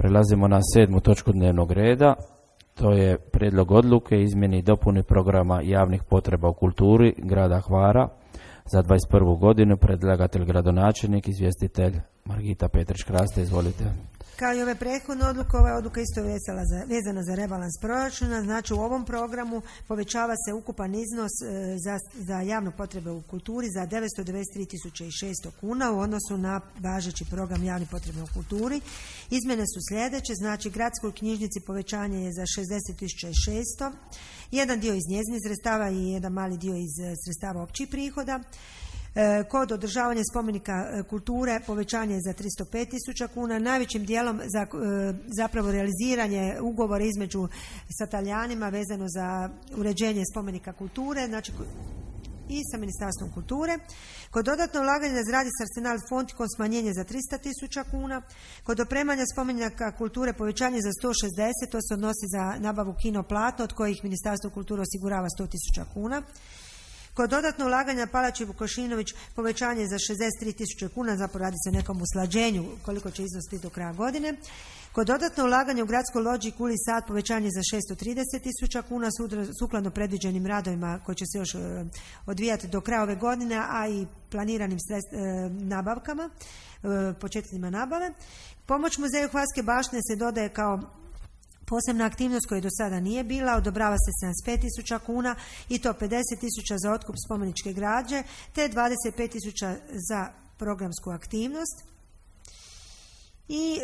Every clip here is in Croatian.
Prelazimo na 7. točku dnevnog reda. To je prijedlog odluke izmjeni i dopuni programa javnih potreba u kulturi grada Hvara za 21. godinu. Predlagatelj gradonačelnik, izvjestitelj Margita Petrić-Kraste. Izvolite. Kao i ove prethodne odluke, ova odluka isto je vezana za rebalans proračuna. Znači u ovom programu povećava se ukupan iznos za javne potrebe u kulturi za 993.600 kuna u odnosu na važeći program javnih potreba u kulturi. Izmjene su sljedeće, znači gradskoj knjižnici povećanje je za 60.600, jedan dio iz njezinih sredstava i jedan mali dio iz sredstava općih prihoda. Kod održavanja spomenika kulture povećanje je za 305.000 kuna, najvećim dijelom za zapravo realiziranje ugovora između sa Talijanima vezano za uređenje spomenika kulture, znači i sa Ministarstvom kulture. Kod dodatno ulaganja na zgradi s Arsenal Fontikon smanjenje za 300.000 kuna. Kod opremanja spomenika kulture povećanje za 160, to se odnosi za nabavu kino platno od kojih Ministarstvo kulture osigurava 100.000 kuna. Kod dodatno ulaganja Palači Vukošinović povećanje za 63.000 kuna, zapravo radi se o nekom usklađenju koliko će iznos biti do kraja godine. Kod dodatno ulaganja u gradskoj lođi Kuli Sad povećanje za 630.000 kuna sukladno predviđenim radovima koji će se još odvijati do kraja ove godine, a i planiranim nabavkama, početcima nabave. Pomoć muzeju Hvarske baštine se dodaje kao posebna aktivnost koja do sada nije bila, odobrava se 75.000 kuna i to 50.000 za otkup spomeničke građe te 25.000 za programsku aktivnost. I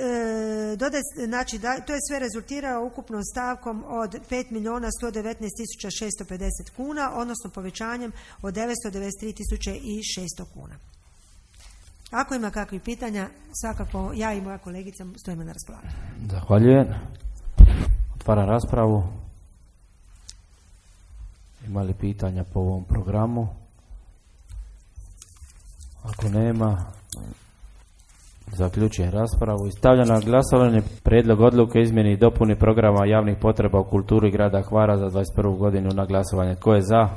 znači, to je sve rezultiralo ukupnom stavkom od 5.119.650 kuna, odnosno povećanjem od 993.600 kuna. Ako ima kakvih pitanja, svakako ja i moja kolegica stojimo na raspolaganju. Zahvaljujem. Otvaram raspravu. Ima li pitanja po ovom programu? Ako nema, zaključujem raspravu i stavljam na glasovanje prijedlog odluke izmjeni i dopuni programa javnih potreba u kulturi grada Hvara za 21. godinu na glasovanje. Tko je za?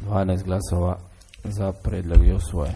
12 glasova za, prijedlog je usvojen.